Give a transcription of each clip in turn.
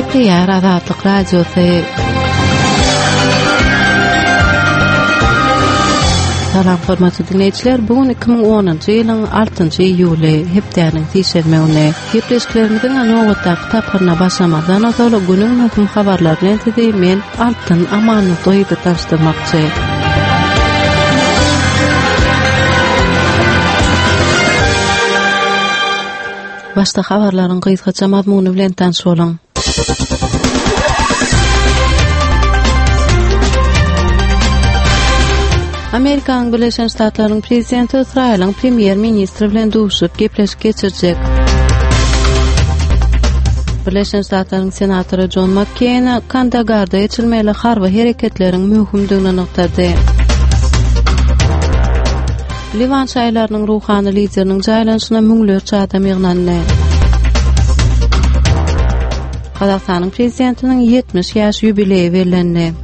Gepleýär Azatlyk Radiosy. Salam hormatly diňleýjiler, bu gün 2010-njy ýylyň 6-njy iýuly, hepdäniň sişenbe güni. Gepleşiklerimiziň nobatdaky tapgyryna başlamazdan ozal günüň möhüm habarlary bilen sizi men Altyn Amanlygyzy tanyşdyrmakçy. Başda habarlaryň gysgaça mazmuny bilen tanyş boluň. Amerikanyň Birleşen Ştatlarynyň prezidenti Ysraýylyň premýer-ministri bilen duşup gepleşik geçirjek. Birleşen Ştatlaryň senatory Jon Makkeýn Kandagarda geçirilmeli harby hereketleriň möhümdigini nygtady. Liwan şaýylarynyň ruhany lideriniň jaýlanyşyna müňlerçe adam ýygnandy. Gazagystanyň prezidentiniň 70 ýaş ýubileýi bellendi.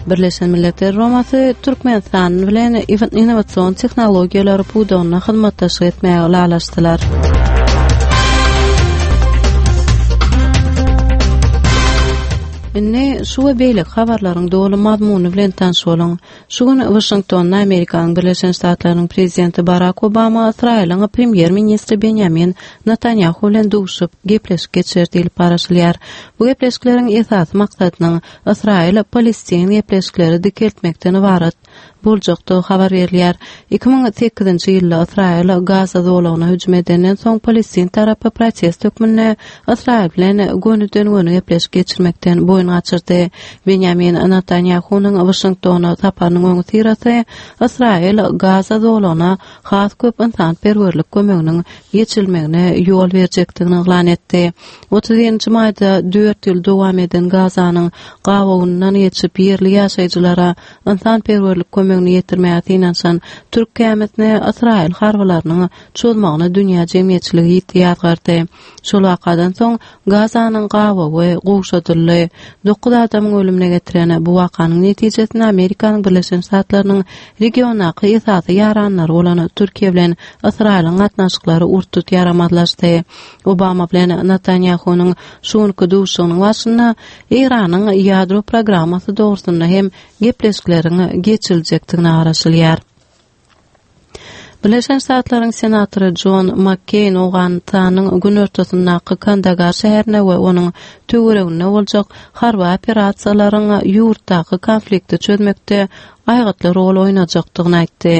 Birleşen Milletler Guramasy Türkmenistan bilen innowasion tehnologiýalar pudagynda hyzmatdaşlyk etmäge ylalaşdylar. Indi şu we beýleki habarlaryň doly mazmuny bilen tanyş boluň. Şu gün Waşingtonda Amerikanyň Birleşen Ştatlarynyň prezidenti Barak Obama Ysraýylyň premýer-ministri Benýamin Netanýahu bilen duşup, gepleşik geçirer diýlip garaşylýar. Bu gepleşikleriň esasy maksadynyň Ysraýyl-Palestin gepleşikleri dikeltmekden ybarat boljakdygy habar berilýär. 2008-nji ýylda Ysraýyl Gaza zolagyna hüjüm edenden soň palestin tarapy protest hökmünde Ysraýyl bilen gönüden-göni gepleşik geçirmekden boýun gaçyrdy. Benýamin Netanýahunyň Waşingtona saparynyň öňüsyrasy Ysraýyl Gaza zolagyna has köp ynsanperwerlik kömeginiň geçirilmegine ýol berjekdigini yglan etdi. 31-nji maýda dört ýyl dowam eden Gazanyň gabawyndan geçip ýerli ýaşaýjylara ynsanperwerlik kömegini ýetirmäge synanyşan türk gämisine ysraýyl harbylarynyň çozmagyny dünýä jemgyýetçiligi ýiti ýazgardy. Şol wakadan soň Gazanyň gabawy gowşadyldy. Dokuz adamyň ölümine getiren bu wakanyň netijesinde Amerikanyň Birleşen Ştatlarynyň regiondaky esasy ýaranlary bolan Türkiýe bilen Ysraýylyň gatnaşyklary ur-tut ýaramazlaşdy. Obama bilen Netanýahunyň şu günki duşuşygynyň barşynda Eýranyň ýadro programmasy dogrusynda hem gepleşikleriň geçiriljekdigine garaşylýar. Birleşen Ştatlaryň senatory Jon Makkeýn Owganystanyň günortasyndaky Kandagar şäherinde we onuň töwereginde boljak harby operasiýalaryň ýurtdaky konflikti çözmekde aýgytly rol oýnajakdygyny aýtdy.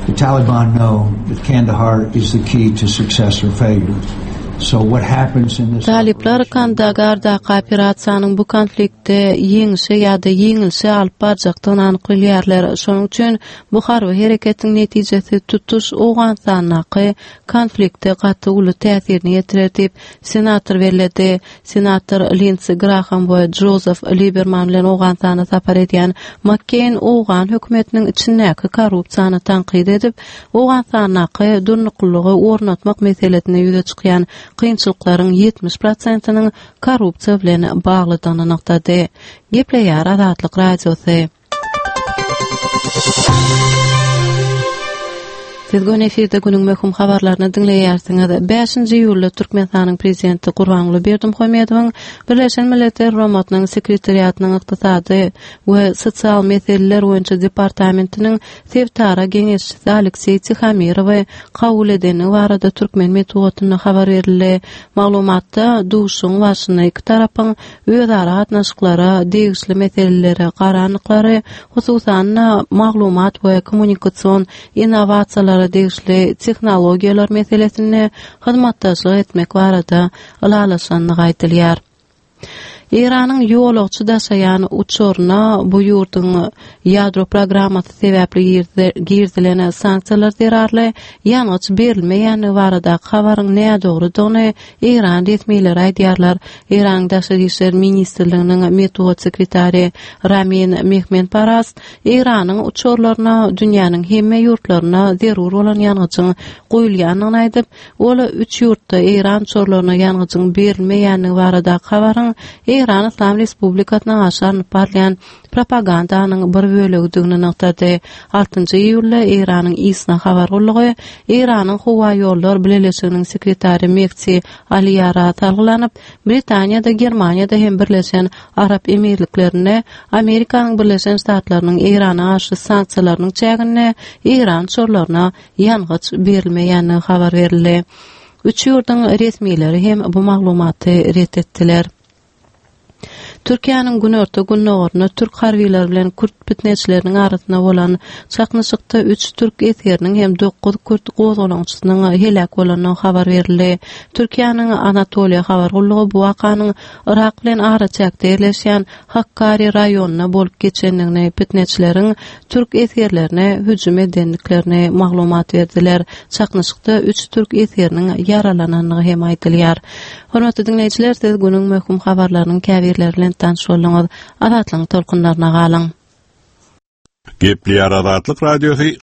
The Taliban know that Kandahar is the key to success or failure. So what happens in this Talyplar Kandagardaky operasiýanyň bu konfliktde ýeňşe ýa-da ýeňilişe alyp barjakdygyny anyk bilýärler. Şonuň üçin Bu harby hereketiň netijesi tutuş Owganystandaky konflikte gaty uly täsirini ýetirer diýip, senator belledi. Senator Lindsi Graham we Jozef Liberman bilen Owganystana sapar edýän Makkeýn owgan hökümetiniň içindäki korrupsiýany tankyt edip, Owganystandaky durnuklylygy ornatmak meselesinde ýüze çykýan kynçylyklaryň 70 prosentiniň korrupsiýa bilen baglydygyny nygtady. Gepleýär Azatlyk Radiosy. Siz göni efirde günüň möhüm habarlaryny diňleýärsiňiz. 5-nji iýulda Türkmenistanyň Prezidenti Gurbanguly Berdimuhamedowyň Birleşen Milletler Guramasynyň Sekretariatynyň Ykdysady we sosial meseleler boýunça departamentiniň sebitara geňeşçisi Alekseý Tihomirowy kabul edendigi barada türkmen metbugatynda habar berildi. Maglumatda duşuşygyň barşynda iki tarapyň özara gatnaşyklara degişli meselelere garandyklary, hususan-da, maglumat we kommunikasion innowasiýalara degişli tehnologiýalar meselesinde hyzmatdaşlyk etmek barada ylalaşandygy aýdylýar. Eýranyň ýolagçy daşaýan uçaryna bu ýurduň ýadro programmasy sebäpli girizilen sanksiýalar zerarly ýangyç berilmeýändigi baradaky habaryň nädogrudygyny Eýran resmileri aýdýarlar. Eýranyň Daşary işler ministrliginiň metbugat sekretary Ramin Mehmenparast Eýranyň uçarlaryna dünýäniň hemme ýurtlarynda zerur bolan ýangyjyň guýulýandygyny aýdyp, ol üç ýurtda eýran uçarlaryna ýangyjyň berilmeýändigi baradaky habaryň. Eýran Yslam Respublikasyna garşy alnyp barylýan propagandanyň bir bölegidigini nygtady. Altynjy iýulda Eýranyň ISNA habar gullugy Eýranyň Howaýollar bileleşiginiň sekretary Mehdi Aliýara salgylanyp, Britaniýada, Germaniýada hem Birleşen Arap Emirliklerinde Amerikanyň Birleşen Ştatlarynyň Eýrana garşy sanksiýalarynyň çäginde Eýran uçarlaryna ýangyç berilmeýändigi habar berildi. Üç ýurduň resmileri hem bu maglumaty ret etdiler. Türkiýäniň günorta-gündogarynda türk harbylary bilen kürt pitneçileriniň arasynda bolan çaknyşykda üç türk esgeriniň hem dokuz kürt gozgalaňçysynyň heläk bolandygy habar berildi. Türkiýäniň Anatoliýa habar gullugy bu wakanyň Yrak bilen araçäkde ýerleşýän Hakkari raýonynda bolup geçendigini, pitneçileriň türk esgerlerine hüjüm edendiklerini maglumat berdiler. Çaknyşykda üç türk esgeriniň ýaralanandygy hem aýdylýar. Hormatly diňleýjiler, siz günüň möhüm habarlarynyň käbirleri bilen tanyş bolduňyz. Azatlygyň tolkunlaryna galyň. Gepleýär Azatlyk Radiosy.